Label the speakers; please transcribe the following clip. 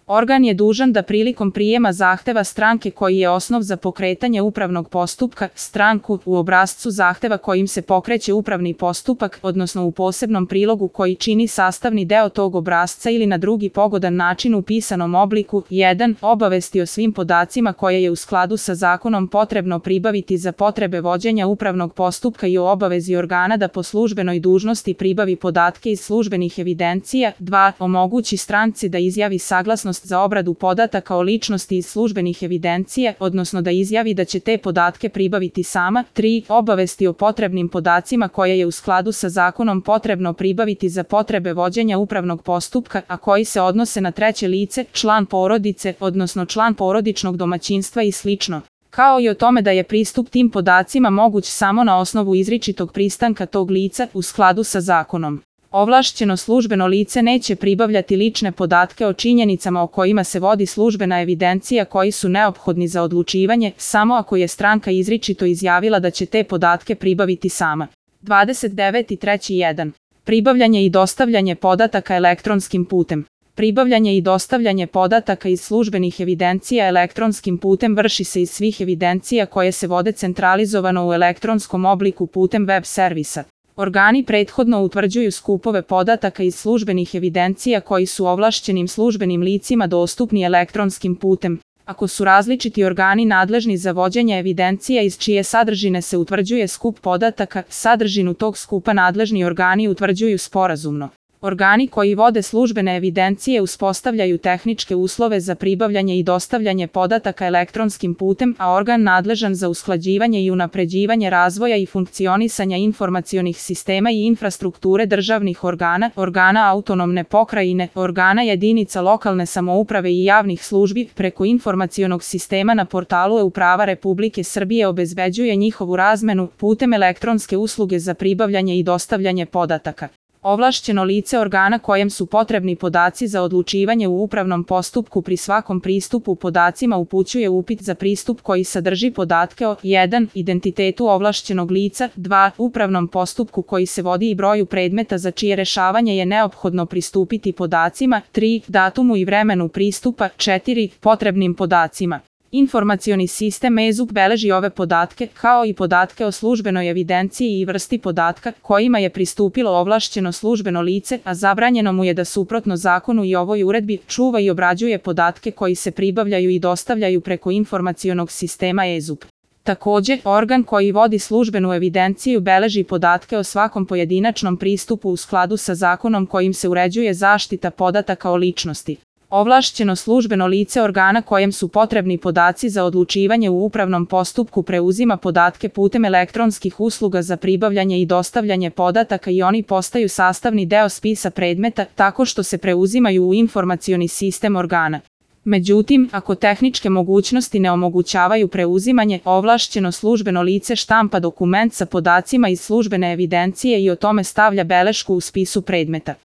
Speaker 1: Organ je dužan da prilikom prijema zahteva stranke koji je osnov za pokretanje upravnog postupka, stranku u obrascu zahteva kojim se pokreće upravni postupak, odnosno u posebnom prilogu koji čini sastavni deo tog obrasca ili na drugi pogodan način u pisanom obliku, 1. Obavesti o svim podacima koje je u skladu sa zakonom potrebno pribaviti za potrebe vođenja upravnog postupka i o obavezi organa da po službenoj dužnosti pribavi podatke iz službenih evidencija, 2. Omogući stranci da izjavi saglasnost za obradu podataka o ličnosti iz službenih evidencija, odnosno da izjavi da će te podatke pribaviti sama, 3. Obavesti o potrebnim podacima koje je u skladu sa zakonom potrebno pribaviti za potrebe vođenja upravnog postupka, a koji se odnose na treće lice, član porodice, odnosno član porodičnog domaćinstva i sl. Kao i o tome da je pristup tim podacima moguć samo na osnovu izričitog pristanka tog lica u skladu sa zakonom. Ovlašćeno službeno lice neće pribavljati lične podatke o činjenicama o kojima se vodi službena evidencija koji su neophodni za odlučivanje, samo ako je stranka izričito izjavila da će te podatke pribaviti sama. 29.3.1. Pribavljanje i dostavljanje podataka elektronskim putem. Pribavljanje i dostavljanje podataka iz službenih evidencija elektronskim putem vrši se iz svih evidencija koje se vode centralizovano u elektronskom obliku putem web servisa. Organi prethodno utvrđuju skupove podataka iz službenih evidencija koji su ovlašćenim službenim licima dostupni elektronskim putem. Ako su različiti organi nadležni za vođenje evidencija iz čije sadržine se utvrđuje skup podataka, sadržinu tog skupa nadležni organi utvrđuju sporazumno. Organi koji vode službene evidencije uspostavljaju tehničke uslove za pribavljanje i dostavljanje podataka elektronskim putem, a organ nadležan za usklađivanje i unapređivanje razvoja i funkcionisanja informacionih sistema i infrastrukture državnih organa, organa autonomne pokrajine, organa jedinica lokalne samouprave i javnih službi preko informacionog sistema na portalu e-uprava Republike Srbije obezbeđuje njihovu razmenu putem elektronske usluge za pribavljanje i dostavljanje podataka. Ovlašćeno lice organa kojem su potrebni podaci za odlučivanje u upravnom postupku pri svakom pristupu podacima upućuje upit za pristup koji sadrži podatke o 1. Identitetu ovlašćenog lica, 2. Upravnom postupku koji se vodi i broju predmeta za čije rešavanje je neophodno pristupiti podacima, 3. Datumu i vremenu pristupa, 4. Potrebnim podacima. Informacioni sistem e-ZUP beleži ove podatke, kao i podatke o službenoj evidenciji i vrsti podatka kojima je pristupilo ovlašćeno službeno lice, a zabranjeno mu je da suprotno zakonu i ovoj uredbi čuva i obrađuje podatke koji se pribavljaju i dostavljaju preko informacionog sistema e-ZUP. Takođe, organ koji vodi službenu evidenciju beleži podatke o svakom pojedinačnom pristupu u skladu sa zakonom kojim se uređuje zaštita podataka o ličnosti. Ovlašćeno službeno lice organa kojem su potrebni podaci za odlučivanje u upravnom postupku preuzima podatke putem elektronskih usluga za pribavljanje i dostavljanje podataka i oni postaju sastavni deo spisa predmeta tako što se preuzimaju u informacioni sistem organa. Međutim, ako tehničke mogućnosti ne omogućavaju preuzimanje, ovlašćeno službeno lice štampa dokument sa podacima iz službene evidencije i o tome stavlja belešku u spisu predmeta.